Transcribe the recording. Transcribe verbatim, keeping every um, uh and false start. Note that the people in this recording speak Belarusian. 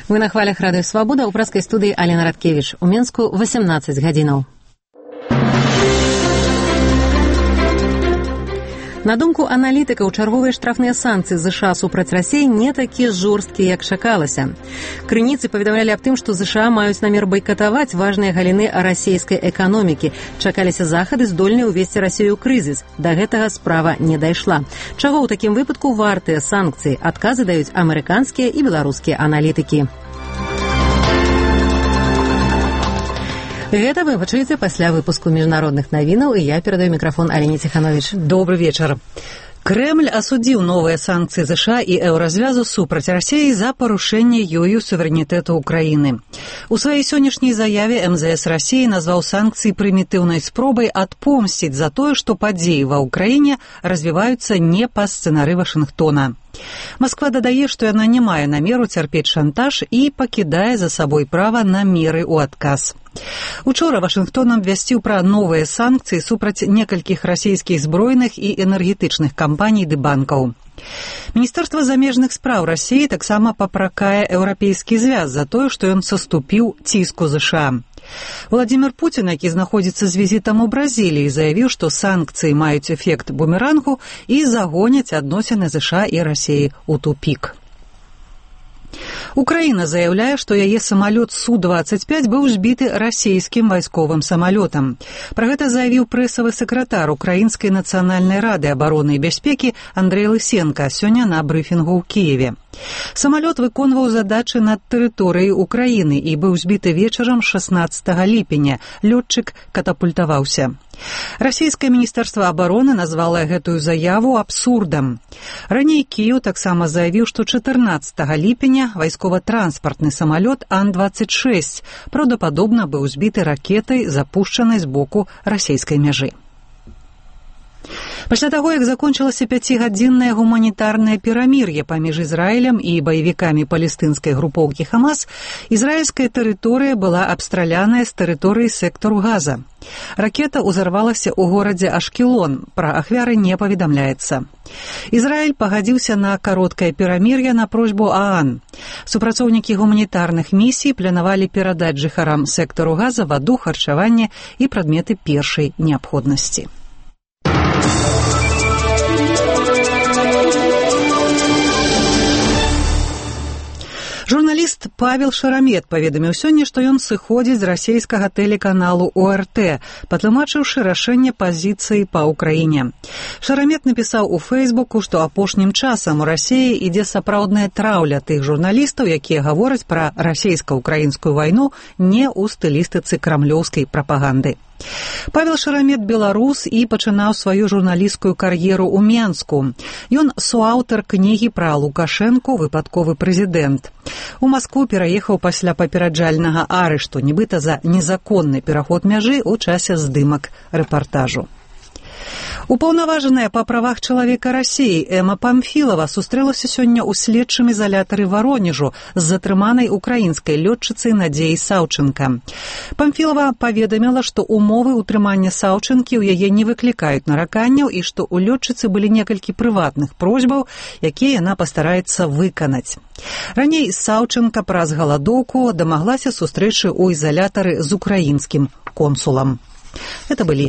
Вы на хвалях Радыё Свабода, у праскай студыі Алена Радкевіч. У Менску восемнадцать гадзінаў. На думку аналітыкаў, чарговыя штрафныя санкцыі ЗША супраць Расіі не такія жорсткія, як чакалася. Крыніцы паведамлялі аб тым, што ЗША маюць намер байкатаваць важныя галіны расійскай эканомікі. Чакаліся захады, здольныя ўвесці Расію ў крызіс. Да гэтага справа не дайшла. Чаго ў такім выпадку вартыя санкцыі? Адказы даюць амерыканскія і беларускія аналітыкі. Гэта вы пачуеце пасля выпуску міжнародных навінаў, і я перадаю мікрафон Алене Ціхановіч. Добрый вечар. Крэмль асудзіў новыя санкцыі ЗША і еўразвязу супраць Расіі за парушэнне ёю суверэнітэту Украіны. У сваёй сённяшняй заяве эм зэ эс Расіі назваў санкцыі прымітыўнай спробай адпомсціць за тое, што падзеі ва ўкраіне развіваюцца не па сцэнары Вашынгтона. Масква дадае, што яна не мае намеру цярпець шантаж і пакідае за сабой права на меры ў адказ. Учора Вашынгтон абвясціў пра новыя санкцыі супраць некалькіх расійскіх збройных і энергетычных кампаній ды банкаў. Міністэрства замежных спраў Расіі таксама папракае еўрапейскі звяз за тое, што ён саступіў ціску ЗША. Владзімір Пуцін, які знаходзіцца з візітам у Бразіліі, заявіў, што санкцыі маюць эфект бумерангу і загоняць адносіны ЗША і Расіі ў тупік. Украіна заяўляе, што яе самалёт Су двадцать пять быў збіты расійскім вайсковым самалётам. Пра гэта заявіў прэсавы сакратар Украінскай нацыянальнай рады абароны і бяспекі Андрэй Лысенка сёння на брыфінгу ў Кіеве. Самалёт выконваў задачы над тэрыторыяй Украіны і быў збіты вечарам шаснаццатага ліпеня. Лётчык катапультаваўся. Расійскае міністэрства абароны назвала гэтую заяву абсурдам. Раней Кіеў таксама заявіў, што чатырнаццатага ліпеня вайскова-транспартны самалёт Ан двадцать шесть праўдападобна быў збіты ракетай, запушчанай з боку расійскай мяжы. Пасля таго, як закончылася пяцігадзіннае гуманітарнае перамір'е паміж Ізраілем і баевікамі палестынскай групоўкі Хамас, ізраільская тэрыторыя была абстраляная з тэрыторыі сектару Газа. Ракета ўзарвалася ў горадзе Ашкелон, пра ахвяры не паведамляецца. Ізраіль пагадзіўся на кароткае перамір'е на просьбу ААН. Супрацоўнікі гуманітарных місій планавалі перадаць жыхарам сектару Газа ваду, харчаванне і прадметы першай неабходнасці. Журналіст Павел Шарамет паведаміў сёння, што ён сыходзіць з расійскага тэлеканалу О Эр Тэ, патлумачыўшы рашэнне пазіцыі па Ўкраіне. Шарамет напісаў у Фэйсбуку, што апошнім часам у Расіі ідзе сапраўдная траўля тых журналістаў, якія гавораць пра расійска-ўкраінскую вайну не ў стылістыцы крамлёўскай прапаганды. Павел Шарамет беларус і пачынаў сваю журналісцкую кар'еру ў Менску. Ён суаўтар кнігі пра Лукашэнку «Выпадковы прэзідэнт». У Маскву пераехаў пасля папераджальнага арышту, нібыта за незаконны пераход мяжы ў часе здымак рэпартажу. Упаўнаважаная па правах чалавека Расіі Эма Памфілава сустрэлася сёння ў следчым изалятары Варонежу з затрыманай украінскай лётчыцай Надзеяй Саўчэнка. Памфілава паведаміла, што умовы ўтрымання Саўчэнкі ў яе не выклікаюць нараканняў і што ў лётчыцы былі некалькі прыватных просьбаў, якія яна пастараецца выканаць. Раней Саўчэнка праз галадоўку дамаглася сустрэчы ў изалятары з украінскім консулам. Это были